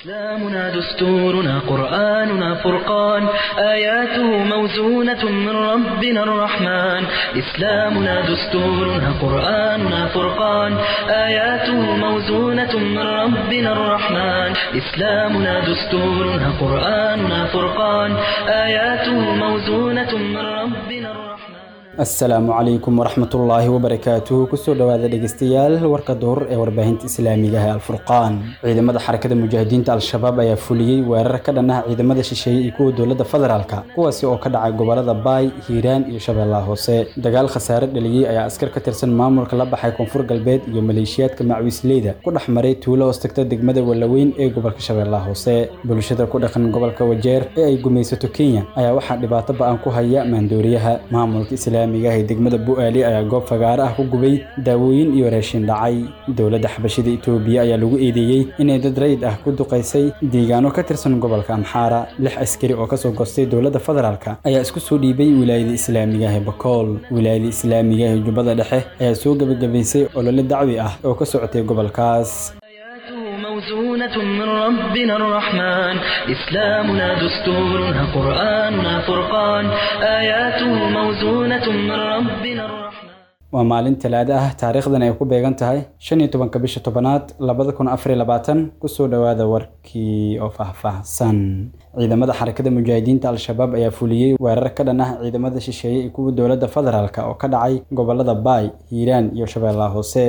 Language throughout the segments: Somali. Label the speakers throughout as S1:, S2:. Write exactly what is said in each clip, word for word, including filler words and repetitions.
S1: إسلامنا دستورنا قرآننا فرقان آياته موزونة من ربنا الرحمن إسلامنا دستورنا قرآننا فرقان آياته موزونة من ربنا الرحمن إسلامنا دستورنا قرآننا فرقان آياته موزونة من ربنا الرحمن.
S2: Asalaamu calaykum waraxmatullaahi wabarakaatuhu. Kusoo dhawaada dhegeystayaal warka duhur ee warbaahinta islaamiga ah ee Alfurqaan. Ciidamada Xarakada Mujaahidiinta Al-Shabaab ayaa fuliyey weerar ka dhan ah ciidamada shisheeye iyo kuwa dowladda federaalka, kuwaasi oo ka dhacay gobolada Baay, Hiiraan iyo Shabeellaha Hoose. Dagaal khasaare dhaliyey ayaa askar ka tirsan maamulka la baxay Koonfur Galbeed iyo maleeshiyaadka Macwiisleyda ku dhex maray tuulo hoos tagta degmada Wallaweyn ee gobolka Shabeellaha Hoose. Bulshada ku dhaqan gobolka Wajeer ee ay gumaysato Kenya ayaa waxaa dhibaato ba'an ku haya maandooriyaha. Maamulka islaamiga ee degmada Bu'aali ayaa goob fagaare ah ku gubay daawooyin iyo raashin dhacay. Dowladda xabashida Itoobiya ayaa lagu eedeeyey inay dad rayid ah ku duqaysay deegaano ka tirsan gobolka Amxaara. Lix askari oo kasoo goostay dowladda federaalka ayaa isku soo dhiibay wilaayada islaamiga ah ee Bakool. Wilaayada islaamiga ah ee Jubbada Dhexe ayaa soo gebagabaysay olole dacwi ah oo ka socotay gobolkaas.
S1: موزونة من ربنا الرحمن إسلامنا دستورنا قرآننا فرقان آياته موزونة من ربنا الرحمن.
S2: Waa maalin talaado ah, taariikhdan ay ku beegan tahay shan iyo tobanka bisha tobanaad labada kun afar iyo labaatan. Kusoo dhawaada warkii oo faahfaahsan. Ciidamada Xarakada Mujaahidiinta Al-Shabaab ayaa fuliyey weerar ka dhan ah ciidamada shisheeye iyo kuwa dowladda federaalka oo ka dhacay gobolada Baay, Hiiraan iyo Shabeellaha Hoose.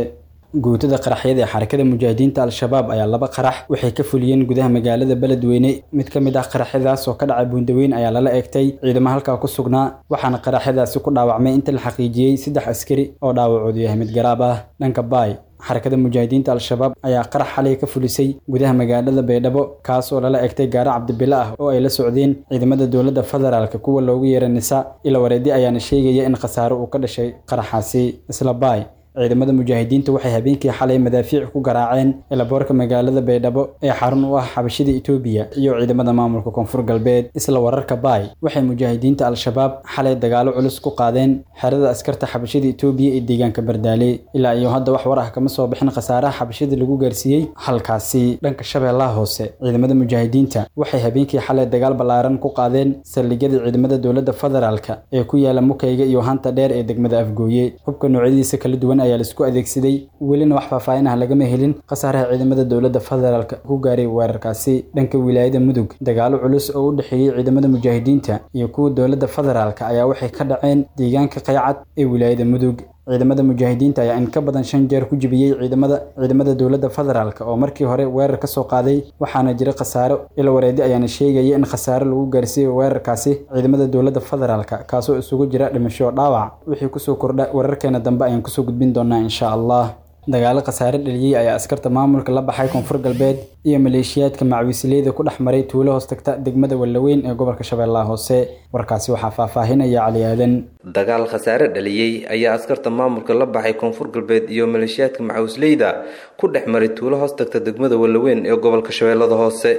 S2: Guutada qaraxyada ee Xarakada Mujaahidiinta Al-Shabaab ayaa laba qarax waxay ka fuliyeen gudaha magaalada Beledweyne. Mid ka mid ah qaraxyadaas oo ka dhacay Buundaweyn ayaa lala eegtay ciidamo halkaa ku sugnaa, waxaana qaraxyadaasi ku dhaawacmay inta la xaqiijiyey saddex askari oo dhaawacoodu yahay mid garaab ah. Dhanka Baay, Xarakada Mujaahidiinta Al-Shabaab ayaa qarax xalay ka fulisay gudaha magaalada Baydhabo, kaas oo lala egtay gaari cabdibile ah oo ay la socdeen ciidamada dowladda federaalka kuwa loogu yeeray Nisa. Ila wareedi ayaana sheegaya in khasaaro uu ka dhashay qaraxaasi. Isla Baay, ciidamada mujaahidiinta waxay habeenkii xalay madaafiic ku garaaceen elaboorka magaalada Baydhabo ee xarun u ah xabashida Itoobiya iyo ciidamada maamulka Koonfur Galbeed. Isla wararka Baay, waxay mujaahidiinta Al-Shabaab xalay dagaalo culus ku qaadeen xerada askarta xabashida Itoobiya ee deegaanka Bardaale. Ilaa iyo hadda wax war ah kama soo bixin khasaaraha xabashida lagu gaarsiiyey halkaasi. Dhanka Shabeellaha Hoose, ciidamada mujaahidiinta waxay habeenkii xalay dagaal ballaaran ku qaadeen saldhigyada ciidamada dowladda federaalka ee ku yaala Mukayga iyo Hanta Dheer ee degmada Afgooye. Hubka noocyadiisa kala duwan ayaa la isku adeegsaday, welina wax faahfaahin ah lagama helin khasaaraha ciidamada dowladda federaalka ku gaaray weerarkaasi. Dhanka wilaayada Mudug, dagaalo culus oo u dhexeeyey ciidamada mujaahidiinta iyo kuwa dowladda federaalka ayaa waxay ka dhaceen deegaanka Qaycad ee wilaayada Mudug. Ciidamada mujaahidiinta ayaa in ka badan shan jeer ku jibiyey ciidamada ciidamada dowladda federaalka oo markii hore weerar ka soo qaaday, waxaana jira khasaaro. Ila wareedi ayaana sheegaya in khasaaro lagu gaarsiiyey weerarkaasi ciidamada dowladda federaalka, kaasoo isugu jira dhimasho, dhaawac. Wixii kusoo kordha wararkeena dambe ayaan kusoo gudbin doonaa insha Allah. Dagaalo khasaare dhaliyey ayaa askarta maamulka la baxay Koonfur Galbeed iyo maleeshiyaadka Macwiisleyda ku dhex maray tuulo hoos tagta degmada Wallaweyn ee gobolka Shabeellaha Hoose. Warkaasi waxaa faahfaahinaya Cali Aadan.
S3: Dagaal khasaare dhaliyey ayaa askarta maamulka la baxay Koonfur Galbeed iyo maleeshiyaadka Macwiisleyda ku dhex maray tuulo hoos tagta degmada Wallaweyn ee gobolka Shabeellada Hoose.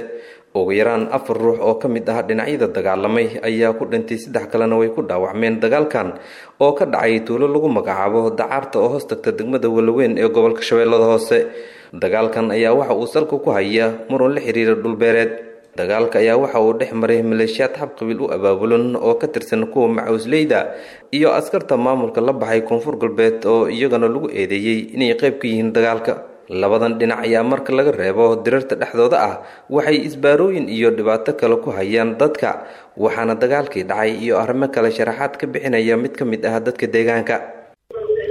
S3: Ugu yaraan afar ruux oo ka mid ah dhinacyada dagaalamay ayaa ku dhintay, saddex kalena way ku dhaawacmeen dagaalkan oo ka dhacay tuulo lagu magacaabo Dacaarta oo hoos tagta degmada Wallaweyn ee gobolka Shabeellada Hoose. Dagaalkan ayaa waxa uu salka ku haya muran la xiriira dhulbeereed. Dagaalka ayaa waxa uu dhex maray maleeshiyaad xab qabiil u abaabulan oo ka tirsan kuwa Macawisleyda iyo askarta maamulka la baxay Koonfur Galbeed oo iyagana lagu eedeeyey inay qayb ka yihiin dagaalka. Labadan dhinac ayaa marka laga reebo dirarta dhexdooda ah waxay isbaarooyin iyo dhibaato kale ku hayaan dadka, waxaana dagaalkii dhacay iyo arrimo kale sharaxaad ka bixinaya mid ka mid ah dadka deegaanka.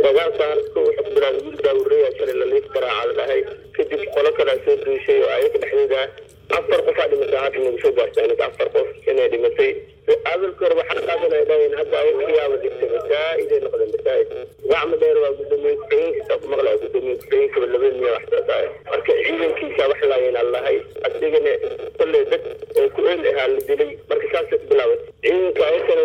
S4: Dagaalkan wuxuu ku bilaabay wiil baabureeya shalay la liif garaaca la dhahay, kadib qolo kalaa soo duushay oo ayaga dhexdeeda afar qof aa dhimatay. Hadda nagu soo gaartay aniga afar qof inay dhimatay. Awalka hore waxaa qaadanay dhaheen, hadda ayaga yaaba dhigtay, masaa'id ay noqdeen masaa'id. Gacmo dheer waa gudoomiye ku-xigeenkiisa ku maqlaya, gudoomiye ku-xigeenka laba miya wax saas ah. Marka ciidankiisa wax laayeen allahay, asigana kolley dad oo ku eel ahaa la dilay. Marka saasay ku bilaabatay ciidanka ayakana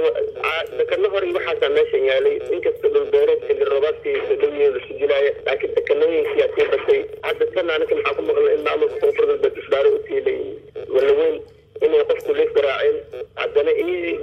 S4: dakano hore waxaasaa meeshan yaalay. Inkasta dhulbeereed xilli roobaadkii sodhowiye lasu dilaaya, laakiin dakanooyinkiyaa sii batay. Hadda tan aniga maxaa ku maqlay in maamulka Koonfur Galbeed isbaaro u tiilay Wallaweyn inay qofku liif garaaceen. Haddana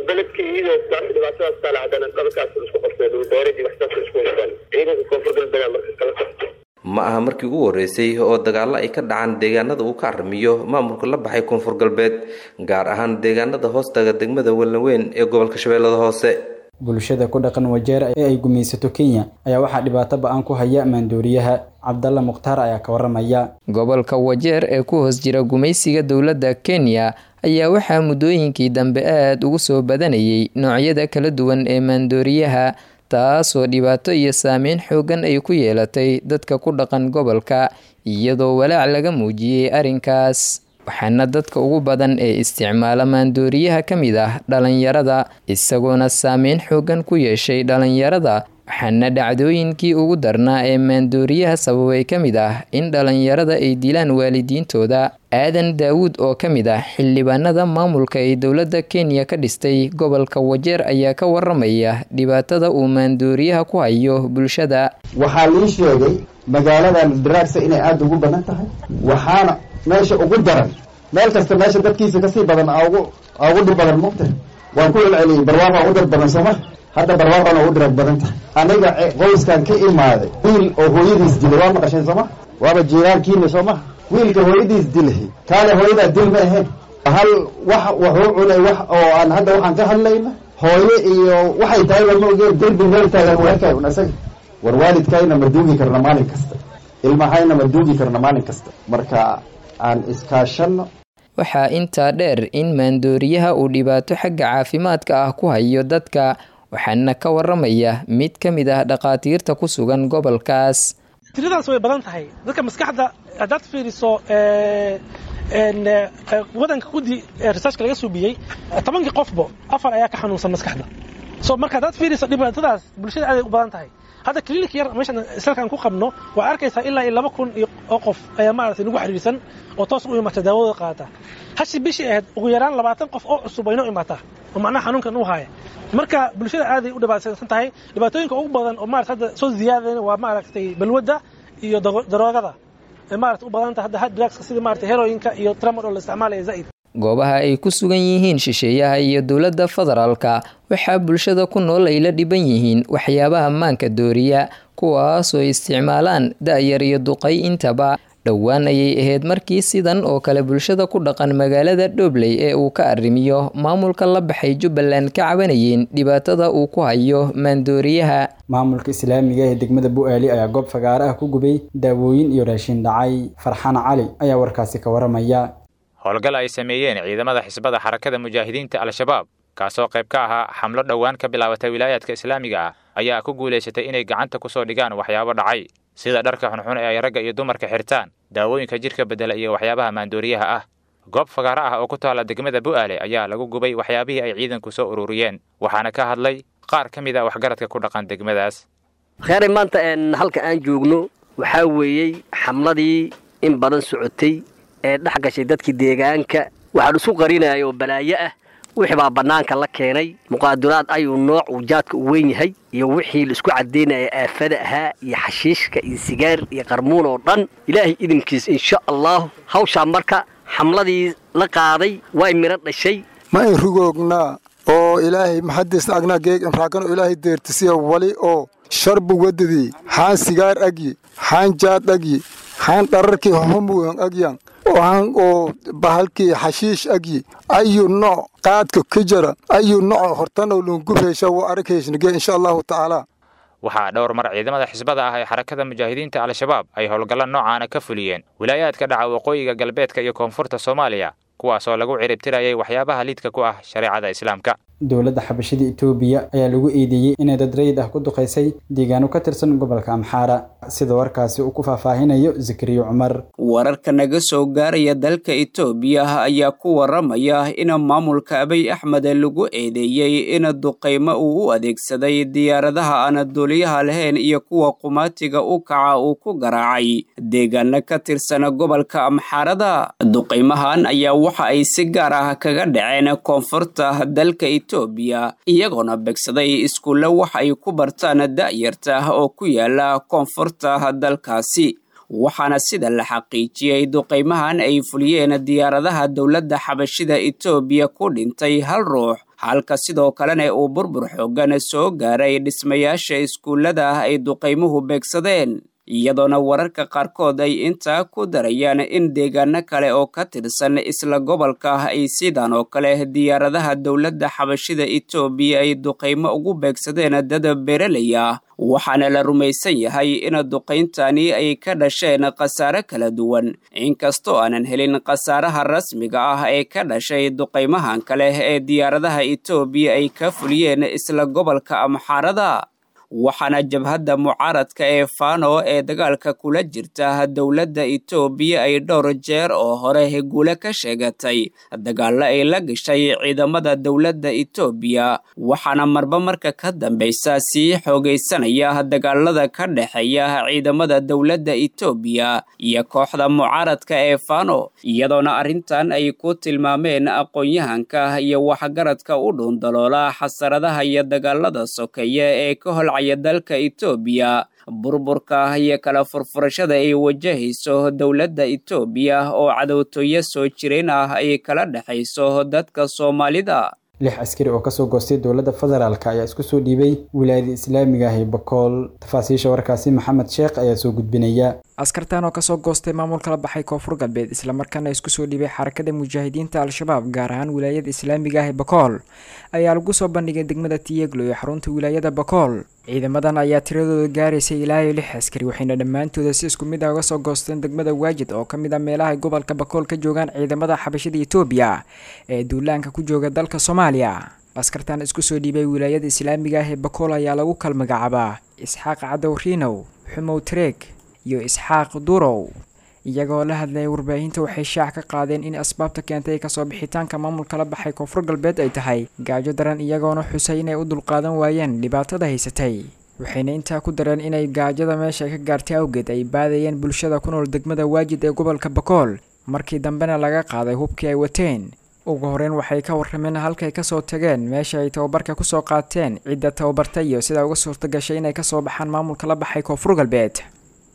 S4: beledkii iyadoo taas dhibaatadaas taala, haddana dhalkaas isku qabtay dhulbeereed iyo waxsaas isku haystaan ciidanka Koonfur Galbeed marka kala qabtay.
S3: Ma aha. markii ugu horeysay oo dagaallo ay ka dhacaan deegaanada uu ka arrimiyo maamulka la baxay Koonfur Galbeed, gaar ahaan deegaanada hoostaga degmada Wallaweyn ee gobolka Shabeellada Hoose.
S2: Bulshada ku dhaqan Wajeer ee ay gumaysato Kenya ayaa waxaa dhibaato ba'an ku haya maandooriyaha. Cabdalla Mukhtaar ayaa ka waramaya.
S5: Gobolka Wajeer ee ku hoos jira gumaysiga dowladda Kenya ayaa waxaa muddooyinkii dambe aad ugu soo badanayay noocyada kala duwan ee maandooriyaha, taasoo dhibaato iyo saameyn xooggan ay ku yeelatay dadka ku dhaqan gobolka, iyadoo walaac laga muujiyey arrinkaas. Waxaana dadka ugu badan ee isticmaala maandooriyaha ka mid ah dhalinyarada, isagoona saameyn xooggan ku yeeshay dhalinyarada. Waxaana dhacdooyinkii ugu darnaa ee maandooriyaha sababay ka mid ah in dhalinyarada ay dilaan waalidiintooda. Aadan Daawuud oo ka mid ah xildhibaanada maamulka ee dowladda Kenya ka dhistay gobolka Wajeer ayaa ka waramaya dhibaatada uu maandooriyaha ku hayo bulshada.
S6: Waxaa lii sheegay magaaladan drugs inay aada ugu badan tahay, waxaana meesha ugu daran meel kasta meesha dadkiisa kasii badan ugu ugu dhib badan mugta. Waan ku celceliyey, barwaaqaa ugu dad badan sooma, hadda barwaaqana ugu drag badan tahay. Aniga qoyskan ka imaaday wiil oo hooyadiis dilay waa maqasheen sooma, waaba jiiraankiina sooma. Wiilka hooyadiis dilay kaale hooyadaa dil ma ahayn, hal wax wuxuu cunay wax oo aan hadda waxaan ka hadlayna hooyo iyo waxay tahay ma ogeen, derbi meel taagan weerkay un isaga. War waalidkayna ma duugi karna maalin kasta, ilmahayna ma duugi karna maalin kasta, marka aan iskaashanno.
S5: Waxaa intaa dheer in maandooriyaha uu dhibaato xagga caafimaadka ah ku hayo dadka, waxaana ka waramaya mid ka mid ah dhakhaatiirta ku sugan gobolkaas.
S7: Tiradaas way badan tahay. Dadka maskaxda haddaad fiiriso, wadanka guddi researchka laga suubiyey, tobankii qofbo afar ayaa ka xanuunsan maskaxda. So marka haddaad fiiriso dhibaatadaas bulshada aaday u badan tahay. Hadda clinic yar meeshan islalkan ku qabno waa arkaysaa ilaa iyo laba kun oo qof ayaa maaragtay nagu xiriirsan oo toos u imaata daawadooda qaadata. Hashi bishii ahayd ugu yaraan labaatan qof oo cusub aynoo imaataa oo macnaha xanuunkan u haya. Marka bulshada aaday u dhibaataysan tahay. Dhibaatooyinka ugu badan oo maaragtay hadda soo ziyaadayna waa maaragtay balwadda iyo daroogada ee maaragtay u badan tahay hadda hard drugs sida maaragtay heroinka iyo tramadol la isticmaalaya zaid.
S5: Goobaha ay ku sugan yihiin shisheeyaha iyo dowladda federaalka waxaa bulshada ku nool ay la dhiban yihiin waxyaabaha maanka dooriya, kuwaasoo isticmaalaan da'yar iyo duqay intaba. Dhowaan ayay ahayd markii sidan oo kale bulshada ku dhaqan magaalada Dhobley ee uu ka arrimiyo maamulka la baxay Jubbaland ka cabanayeen dhibaatada uu ku hayo maandooriyaha.
S2: Maamulka islaamiga ee degmada Bu'aali ayaa goob fagaare ah ku gubay daawooyin iyo raashin dhacay. Farxaan Cali ayaa warkaasi ka waramaya.
S8: Howlgal ay sameeyeen ciidamada xisbada Xarakada Mujaahidiinta Al-Shabaab, kaasoo qayb ka ahaa xamlo dhowaan ka bilaabatay wilaayaadka islaamiga ah, ayaa ku guulaysatay inay gacanta ku soo dhigaan waxyaabo dhacay sida dharka xunxun ee ay ragga iyo dumarka xirtaan, daawooyinka jidhka beddela iyo waxyaabaha maandooriyaha ah. Goob fagaaro ah oo ku taalla degmada Bu'aale ayaa lagu gubay waxyaabihii ay ciidanku soo ururiyeen, waxaana ka hadlay qaar ka mid ah waxgaradka ku dhaqan degmadaas.
S9: Kheyray, maanta halka aan joogno waxaa weeyey xamladii in badan socotay ee dhex gashay dadkii deegaanka. Waxaan isu qarinaya oo balaayo ah wixii baa bannaanka la keenay. Muqaaduraad ayuu nooc uu jaadka u weyn yahay iyo wixii la isku caddaynaya aafada ahaa iyo xashiishka iyo sigaar iyo qarmuun oo dhan, ilaahay idinkiis insha allahu hawshaa marka xamladii la qaaday way midho dhashay.
S10: Ma in rugoognaa oo ilaahay maxadiisna agnaa geeg imraakano ilaahay deertisiya wali oo sharbu wadadii xaan sigaar agyi, xaan jaad agyi, xaan dhararkii humugan agyan, waxaan oo bahalkii xashiish agyi, ayu nooc qaadka ka jara, ayu nooc hortano lungufeysha waa arkaysnige insha allahu tacaala.
S8: Waxaa dhowr mar ciidamada xisbada ah ee Xarakada Mujaahidiinta Al-Shabaab ay howlgallo noocaana ka fuliyeen wilaayaadka dhaca waqooyiga, galbeedka iyo koonfurta Soomaaliya, kuwaasoo lagu ciribtirayay waxyaabaha liidka ku ah shareecada islaamka.
S2: Dowladda xabashida Itoobiya ayaa lagu eedeeyey inay dad rayid ah ku duqeysay deegaano ka tirsan gobolka Amxaara, sida warkaasi uu ku faahfaahinayo Zakariya Cumar.
S11: Wararka naga soo gaaraya dalka Itoobiya ayaa ku waramaya in maamulka Abiy Axmed lagu eedeeyey in duqeymo uu u adeegsaday diyaaradaha aan duuliyaha lahayn iyo kuwa qumaatiga u kaca uu ku garaacay deegaano ka tirsan gobolka Amxaarada. Duqeymahan ayaa waxa ay si gaar ah kaga dhaceen koonfurta dalka Itoobiya, iyagoona begsaday iskuulle wax ay ku bartaan da'yarta oo ku yaala koonfurta dalkaasi. Waxaana sida la xaqiijiyey duqeymahan ay fuliyeen diyaaradaha dowladda xabashida Itoobiya ku dhintay hal ruux, halka sidoo kalena uu burbur xooggan soo gaaray dhismayaasha iskuullada ay duqeymuhu beegsadeen. Iyadoona wararka qaarkood ay intaa ku darayaan in deegaano kale oo ka tirsan isla gobolka ay sidan oo kale diyaaradaha dowladda xabashida Itoobiya ay duqeymo ugu beegsadeen dad beeraley ah, waxaana la rumaysan yahay in duqeyntani ay ka dhasheen khasaare kala duwan, inkastoo aanan helin khasaaraha rasmiga ah ee ka dhashay duqeymahan kale ee diyaaradaha Itoobiya ay ka fuliyeen isla gobolka Amxaarada. Waxaana jabhadda mucaaradka ee Fano ee dagaalka kula jirta dowladda Itoobiya ay dhowr jeer oo hore guule ka sheegatay dagaallo ay la gashay ciidamada dowladda Itoobiya, waxaana marba marka ka dambeysa sii xoogaysanaya dagaalada ka dhexeeya ciidamada dowladda Itoobiya iyo kooxda mucaaradka ee Fano, iyadoona arrintan ay ku tilmaameen aqoon-yahanka iyo waxgaradka u dhuundaloola xasaradaha iyo dagaalada sokeeye ee ka holcaya dalka Itoobiya, burburka iyo kala furfurashada ay wajahayso dowladda Itoobiya oo cadowtooyo soo jireen ah ay kala dhexayso dadka Soomaalida.
S2: Lix askari oo kasoo goostay dowladda federaalk ayaa isku soo dhiibay wilaayada islaamiga ah ee Bakool. Tafaasiisha warkaasi Maxamed Sheekh ayaa soo gudbinaya.
S12: Askartan oo kasoo goostay maamulka la baxay Koonfur Galbeed islamarkaana isku soo dhiibay xarakada mujaahidiinta Al-Shabaab gaar ahaan wilaayada islaamiga ah ee Bakool ayaa lagu soo bandhigay degmada Tiyeglo ee xarunta wilaayada Bakool. Ciidamadan ayaa tiradooda gaaraysay ilaa iyo lix askari, waxayna dhammaantooda si isku mid ah uga soo goosteen degmada Waajid oo ka mid ah meelaha ay gobolka Bakool ka joogaan ciidamada xabashida Itoobiya ee duulaanka ku jooga dalka Soomaaliya. Askartan isku soo dhiibay wilaayada islaamiga ah ee Bakool ayaa lagu kala magacaabaa Isxaaq Cadow Riinow, Xumow Tareeg iyo Isxaaq Durow. Iyagoo la hadlayay warbaahinta waxay shaac ka qaadeen in asbaabta keentay kasoo bixitaanka maamulka la baxay Koonfur Galbeed ay tahay gaajo daran, iyagoona xusay inay u dulqaadan waayeen dhibaatada haysatay. Waxayna intaa ku dareen inay gaajada meesha ka gaartay awgeed ay baadayeen bulshada ku nool degmada Waajid ee gobolka Bakool, markii dambena laga qaaday hubkii ay wateen. Ugu horeyn waxay ka warrameen halkay kasoo tageen, meesha ay tababarka kusoo qaateen, cidda tababartay iyo sida uga suurta gashay inay kasoo baxaan maamulka la baxay Koonfur Galbeed.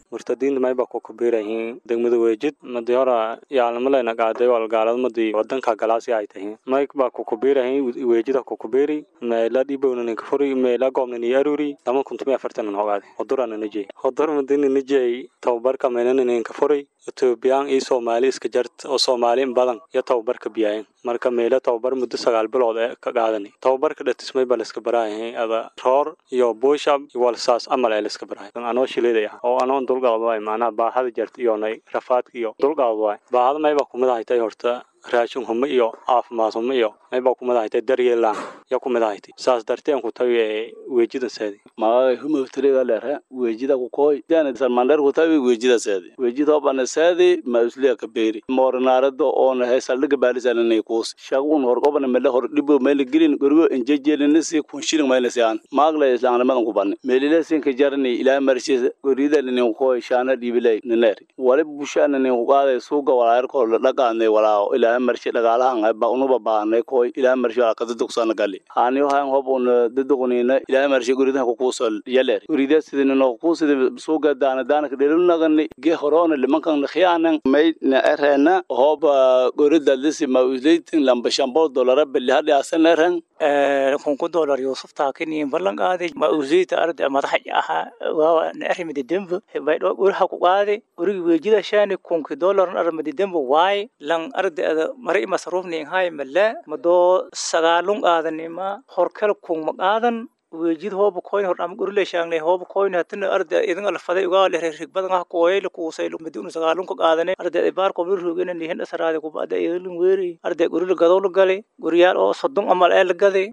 S13: Murtadiinta mayba ku kubiirayihiin degmada Weejid madii hora yaalmalena qaaday walgaaladmadii wadanka galaasi ay tahiin mayba ku kubiirayihiin Weejida ku kubiiri meela dhibowna kafuri meela goobna ni aruri lama kuntum afartan hogaade hodurana nijey hodur madina nijey tababarka meelana kafuri Etoobiyaan iyo Soomaali iska jart oo Soomaali badan iyo tababarka biyaan marka meela tababar muddo sagaal bilood ee ka qaadanay tababarka dhatismay bal iska baraayahay ada roor iyo bushab iyo walsaas amal ee iska baraayahay anoo shileeday oo anoo dulqaad waay macnaha baahada jart iyo nay rafaadka iyo dulqaad waay baahada mayba kumid ahay horta raashin humo iyo caafimaad humo iyo mayba kumid ahay daryeel la'aan iyo kumid ahay saas darteen ku tagay Weejida seedi
S14: ma humo tiriga leer Weejida ku kooy dana salmander ku tagay Weejida seedi Weejida bana seedi ma isliya ka beeri moornaarado oo na saldhiga baalisanay kuus shagun hor qobna meel hor dhibo meel gelin gurigo injejeelina si kun shilin meel saan maagla islaamnimadan ku banay meelila sin ka jarnay ilaa marshis gurida nin kooy shaana dhibilay neer wali bushaana nin qaaday suuqa walaayar ko la dhaqaanay walaa ilaa marshi dhaqaalahan ba unuba baahnay kooy ilaa marshi ka dadugsan gali ani waxaan hob un daduqnina ilaa marshi guridaha ku kuusal yaleer gurida sidina noo kuusida suuqa daana daana ka dhelunagani ge horona limankan khiyaanan may na erena hob gurida lisi ma uslaytin lamba shambo dollar bil hadi asan eren
S15: ee kun dollar Yusuf taakini ballan qaaday ma uslayta arday madax aha waa na arrimada dembe bay dho guraha ku qaaday guriga Weejida shaani kun dollar arrimada dembe waay lan arday mari masruufni hay mala mado sagaalun qaadanima horkal kun ma qaadan Weejid hoob koyn hor am gurle shaangnay hoob koyn hatna arday idin alfaday uga leer rig badan ah kooyay kuusay maduna sagaalun ka qaadanay arday baar qob ruugina nihin asraade ku baada idin weeri arday gurle gadow la galay guriyaal oo soddon amal ee la gaday.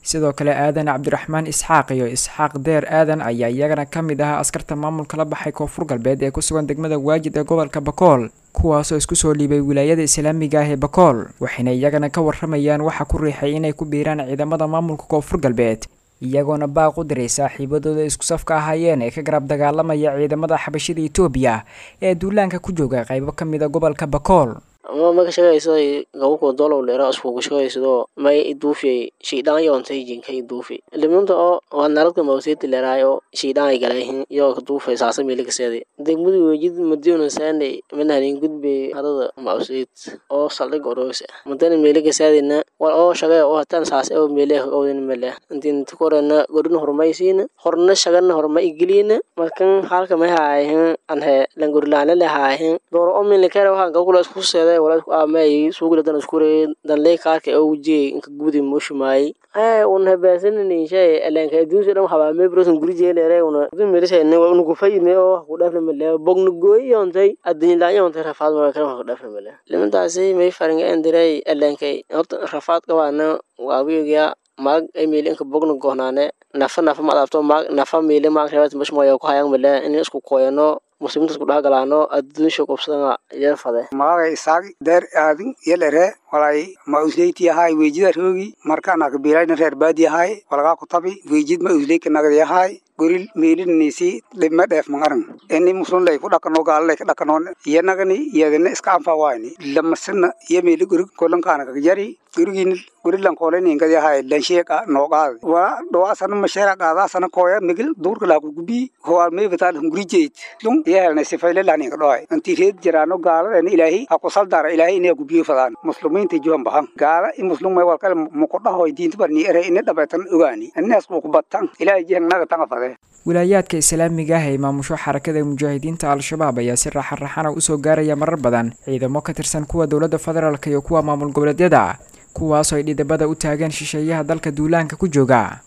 S12: Sidoo kale Aadan Cabdiraxmaan Isxaaq iyo Isxaaq Deer Aadan ayaa iyagana ka mid ahaa askarta maamulka la baxay Koonfur Galbeed ee ku sugan degmada Waajid ee gobolka Bakool, kuwaasoo isku soo dhiibay wilaayada islaamiga ah ee Bakool, waxayna iyagana ka warramayaan waxa ku riixay inay ku biiraan ciidamada maamulka Koonfur Galbeed, iyagoona baaq u diray saaxiibadooda isku safka ahaayeen ee ka garab dagaalamaya ciidamada xabashida Itoobiya ee duulaanka ku jooga qaybo ka mid ah gobolka Bakool.
S16: Ama ma ka shaqaysaday gabako dolow leera iskugu shaqaysado may iduufiyay shaydaan yoontay jinka iduufi liminta oo waa naradka mawseeti leeraayo shaydaan ay galayhin yoo ka duufay saasa meeli kaseeday degmadu Weejid madiuna saanay manahanin gudbay harada mawseet oo saldhig oroos madana meeli kaseedayna war oo shaqay oo hatan saas oo meeli owdin mele intiin tukorana godin horumaysiina horna shaqana horma igiliina markan halka may haahin anhe langurlaana lahaahin door oo min lekere waxaan gabakula isku seeday wala isku aamay suuqla dan isku reey dan leey kaarka oo wujiyay inka gudi mushmaay ee un hebeesanini shay elenka adduunka dhan waxaa mee brosan guri jeeleere una dun meelisay ne unu ku fayne oo ku dhaafna male bognu gooyontay adduun laayontay rafaad ma kale ku dhaafna male limantaasi may faringa endiray elenkay horta rafaad qabaana waa wiigiya maag ay meelinka bognu goonaane nafa nafa ma adaabto maag nafa meele maag reebat mushmaay ku hayaan male in isku kooyano muslimiinta isku dhexgalaano adduunsha qobsadana yar fade.
S17: Magacay Isaaq Deer Aadin yelere walay ma usleyti ahay Weejida roogi markaan aqbiilayna reer baadi ahay walagaa ku tabi Weejid ma usleyka nagad yahay goril meelinisi dhibma dheef mangaran ini muslim lay ku dhaqano gaal lay ka dhaqano iyanagani iyadana iska anfawaayni lamasana iyo meeli gurig kolankaana kaga jari gurigin gurilan koolani ingad yahay lansheeqa nooqaad waa dhawaasana masheera qaadaasana kooya migil duurka laa ku gubi howaal mee bitaal hunguri jeyd lung iyahelna sifayle laanin ka dhawaay intii reed jiraano gaaladana Ilaahay ha ku saldara Ilaahay inay gubiyo fadaan muslimiinta juhan bahan gaala in muslim may walkale muqodhahoy diinta barni ere ina dhabaytan ogaani inaas ku batan Ilaahay jihnaga tanga fade.
S12: Wilaayaadka islaamiga ah ee maamusho Xarakada Mujaahidiinta Al-Shabaab ayaa si raaxan-raxana usoo gaaraya marar badan ciidamo ka tirsan kuwa dowladda federaalka iyo kuwa maamul goboleedyada, kuwaasoo ay dhidabada u taagan shisheeyaha dalka duulaanka ku jooga.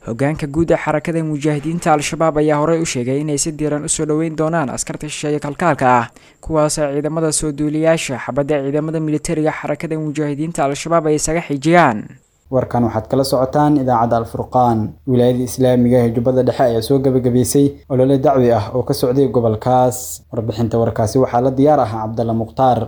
S12: Hogaanka guud ee Xarakada Mujaahidiinta Al-Shabaab ayaa horey u sheegay inay si diiran usoo dhoweyn doonaan askarta shisheeye kalkaalka ah, kuwaasoo ciidamada soo duuliyaasha xabadda ciidamada militariga Xarakada Mujaahidiinta Al-Shabaab ay isaga xijiyaan.
S2: Warkan waxaad kala socotaan idaacadda Alfurqaan. Wilaayada islaamiga ee Jubbada Dhexe ayaa soo gabagabaysay olole dacwi ah oo ka socday gobolkaas. Warbixinta warkaasi waxaa la diyaar ah Cabdalla Mukhtaar.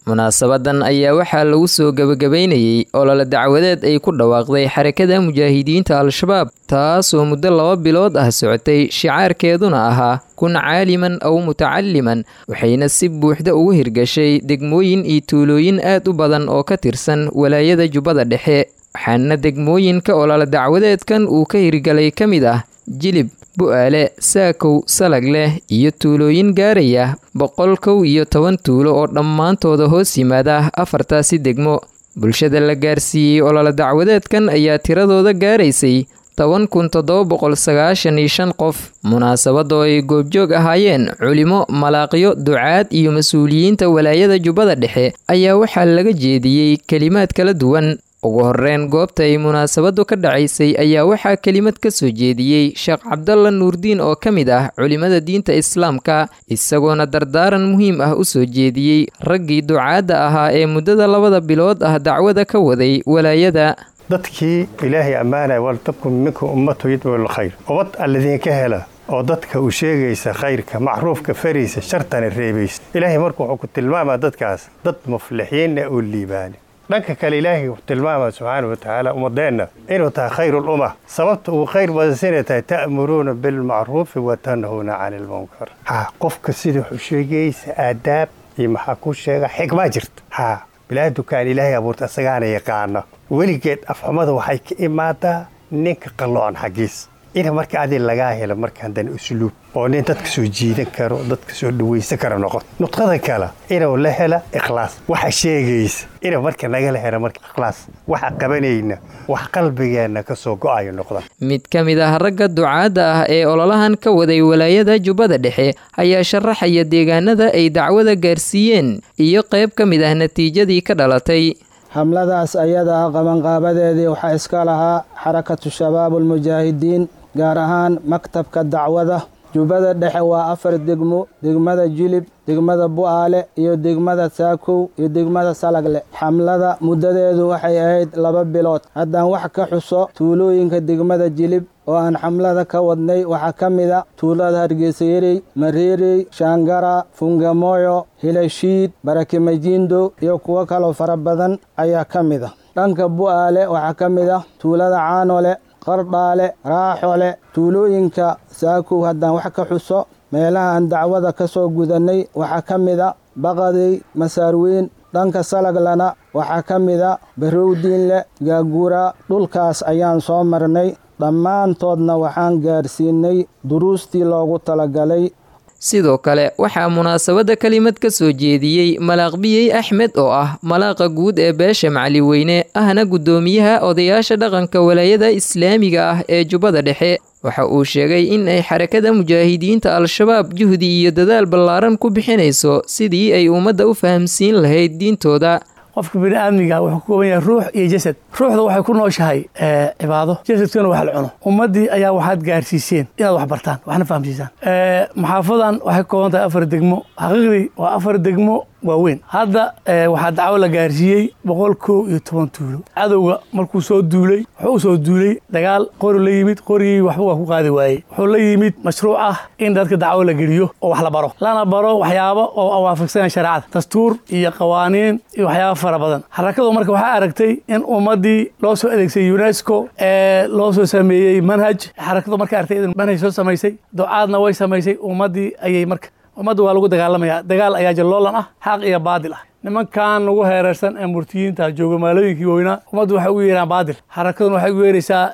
S5: Munaasabadan ayaa waxaa lagu soo gabagabaynayey olole dacwadeed ay ku dhawaaqday Xarakada Mujaahidiinta Al-Shabaab, taasoo muddo laba bilood ah socotay, shicaarkeeduna ahaa kun caaliman aw mutacaliman, waxayna si buuxda ugu hirgashay degmooyin iyo tuulooyin aad u badan oo ka tirsan walaayada Jubbada Dhexe. Waxaana degmooyinka olole dacwadeedkan uu ka hirgalay ka mid ah Jilib, Bu'aale, Saakow, Salagleh iyo tuulooyin gaaraya boqol kow iyo toban tuulo oo dhammaantooda hoos yimaada afartaasi degmo. Bulshada la gaarsiiyey olole dacwadeedkan ayaa tiradooda gaaraysay toban kun toddoba boqol sagaashan iyo shan qof. Munaasabadoo ay goobjoog ahaayeen culimo, malaaqyo, ducaad iyo mas-uuliyiinta walaayada Jubbada Dhexe ayaa waxaa laga jeediyey kelimaad kala duwan. Ugu horreyn goobta ay munaasabadu ka dhacaysay ayaa waxaa kelimad ka soo jeediyey Sheekh Cabdalla Nuurdiin oo ka mid ah culimada diinta islaamka, isagoona dardaaran muhiim ah u soo jeediyey raggii ducaadda ahaa ee muddada labada bilood ah dacwada ka waday walaayada.
S18: Dadkii Ilaahay ammaanaya waltabkum minkum ummatu yadcuu lilkhayr, ubad alladinka hela oo dadka u sheegaysa khayrka, macruufka faraysa, shartana reebaysa. Ilaahay marka wuxuu ku tilmaamaa dadkaas dad muflixiinna oo liibaani. Dhanka kale Ilaahay wuxuu tilmaamaa subxaana wa tacaala ummadeenna inuu tahay khayru lumma. Sababta uu khayr badansinay tahay ta'muruuna bilmacruufi wa tanhuuna cani lmunkar. Ha qofka sida wuxuu sheegaysa aadaab iyo maxaa ku sheega xikmaa jirta. Ha bilaa dukaan Ilaahay abuurta isagaana yaqaana. Weligeed afxumada waxay ka imaadaa ninka qalloocan xaggiis. Ina marka adi lagaa helo markaan dan usluub oo nin dadka soo jiidan karo, dadka soo dhawaysan karo noqon. Nuqtada kale inuu la hela ikhlaas, waxa sheegaysa inuu marka nagala helo marka ikhlaas, waxa qabanayna wax qalbigeenna ka soo go'ayo noqda.
S5: Mid ka mid ah ragga ducaadda ah ee ololahan ka waday walaayada Jubbada Dhexe ayaa sharaxaya deegaanada ay dacwada gaarsiiyeen iyo qayb ka mid ah natiijadii ka dhalatay.
S19: Hamladaas ayada ah qabanqaabadeedii waxaa iska lahaa Xarakatu Shabaab Almujaahidiin, gaar ahaan maktabka dacwada Jubbada Dhexe. Waa afar degmo: degmada Jilib, degmada Bu'aale iyo degmada Saakow iyo degmada Salagle. Xamlada muddadeedu waxay ahayd laba bilood. Haddaan wax ka xuso tuulooyinka degmada Jilib oo aan xamlada ka wadnay, waxaa ka mid a tuulada Hargeysayerey, Mareerey, Shaangara, Fungamoyo, Hilashiid, Barakimajindo iyo kuwo kaloo fara badan ayaa ka mid ah. Dhanka Bu'aale waxaa ka mid ah tuulada Caanole, Qardhaale, Raaxole. Tuulooyinka Saakow haddaan wax ka xuso meelaha aan dacwada ka soo gudannay waxaa ka mid a Baqadey, Masaarweyn, Dhanka Salaglana waxaa ka mida Barowdiinle, Gaagura. Dhulkaas ayaan soo marnay, dhammaantoodna waxaan gaarsiinay duruustii loogu talagalay.
S5: Sidoo kale waxaa munaasabadda kelimad ka soo jeediyey Malaaqbiyey Axmed oo ah malaaqa guud ee beesha Macaliweyne, ahna guddoomiyaha odayaasha dhaqanka walaayada islaamiga ah ee Jubbada Dhexe. Waxa uu sheegay in ay xarakada mujaahidiinta Al-Shabaab juhdi iyo dadaal ballaaran ku bixinayso sidii ay ummadda u fahamsiin lahayd diintooda.
S20: Qofka bini'aadmiga wuxuu ka kooban yahay ruux iyo jasad. Ruuxda waxay ku nooshahay cibaado, jasadkuna wax la cuno. Ummaddii ayaa waxaad gaarsiiseen inaad wax bartaan, waxna fahamsiisaan. Maxaafadan waxay ka kooban tahay afar degmo. Xaqiiqdii waa afar degmo waaweyn. Hadda waxaa dacwo la gaarsiiyey boqol kow iyo toban tuulo. Cadowga markuu soo duulay wuxuu u soo duulay dagaal, qori la yimid, qorigii waxba waa ku qaadi waayey. Wuxuu la yimid mashruuc ah in dadka dacwo la geliyo oo wax la baro, lana baro waxyaabo oo waafaqsan shareecada, dastuur iyo qawaaniin iyo waxyaabo fara badan. Xarakadu marka waxaa aragtay in ummaddii loo soo adeegsay UNESCO ee loo soo sameeyey manhaj. Xarakadu marka aragtay in manhaj soo samaysay, ducaadna way samaysay, ummaddii ayay marka ummadda waa lagu dagaalamaya. Dagaal ayaa jalloolan ah, xaq iyo baadil ah. Nimankan lagu heereysan ee murtiyiinta jooga maalooyinkii weynaa, ummaddu waxay ugu yeeraan baadil, xarakaduna waxay ugu yeeraysaa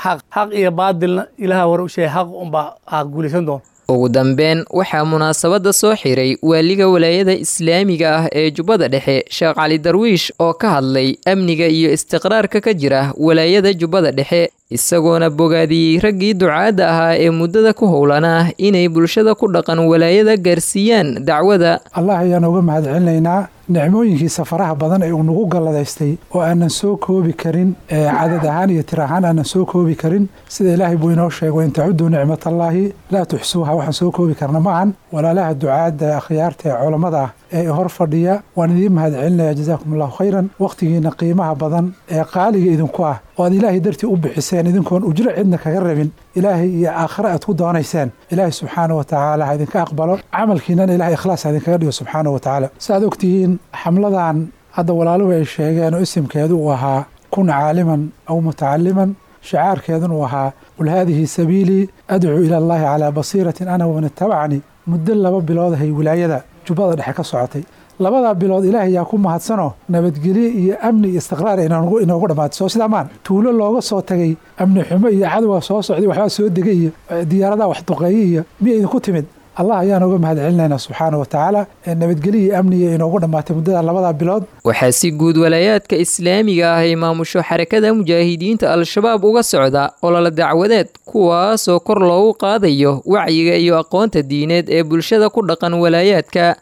S20: xaq. Xaq iyo baadilna Ilaaha hore u sheegay, xaq unbaa aa guulaysan doona.
S5: Ugu dambeyn waxaa munaasabadda soo xiray waaliga walaayada islaamiga ah ee Jubbada Dhexe, Sheekh Cali Darwiish, oo ka hadlay amniga iyo istiqraarka ka jira walaayada Jubbada Dhexe, isagoona bogaadiyey raggii ducaadda ahaa ee muddada ku howlanaa inay bulshada ku dhaqan walaayada gaarsiiyaan dacwada.
S21: Allah ayaan uga mahadcelinaynaa nicmooyinkiisa faraha badan ee uu nagu galladaystay oo aanan soo koobi karin, cadad ahaan iyo tir ahaan aanan soo koobi karin. Sida Ilaahay buu inoo sheego, in tacuduu nicmatallaahi laa tuxsuuha, waxaan soo koobi karna maahan. Walaalaha ducaadda, akhyaarta ee culammada ah ee hor fadhiya, waan idiin mahadcelinaya, jazaakum allahu khayran. Wakhtigiina qiimaha badan ee qaaliga idinku ah oo aad Ilaahay dartii u bixiseen, idinkoon ujro cidna kaga rabin, Ilaahay iyo aakhare aad ku doonayseen, Ilaahay subxaana wa tacaala ha idinka aqbalo camalkiinana, Ilahay ikhlaas ha idinkaga dhigo subxaana wa tacaala. Saaad ogtihiin, xamladan hadda walaaluhu ay sheegeen oo isimkeedu uu ahaa kun caaliman aw mutacaliman, shicaarkeeduna uu ahaa qul haadihi sabiilii adcuu ila allahi calaa basiiratin ana waman ittabacanii, muddo laba bilood ahay wilaayada Jubbada Dhexe ka socotay. Labadaa bilood Ilaahay yaa ku mahadsanoo nabadgelye iyo amni iyo istiqraar inoogu dhammaatay. Soo sidaa maan tuulo looga soo tagay amni xumo iyo cadowga soo socday, waxbaa soo degay iyo diyaaradaha wax duqeeye iyo miya idinku timid? Allah ayaan uga mahadcelinaynaa subxaana wa tacaala nabadgelye iyo amniga inoogu dhammaatay muddada labadaa bilood.
S5: Waxaa si guud walaayaadka islaamiga ah ay maamusho xarakada mujaahidiinta Al-Shabaab uga socda olole dacwadeed, kuwaasoo kor loogu qaadayo wacyiga iyo aqoonta diineed ee bulshada ku dhaqan walaayaadka.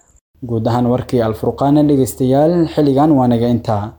S2: Guud ahaan warkii Alfurqaana dhegeystayaal xilligan waa naga intaa.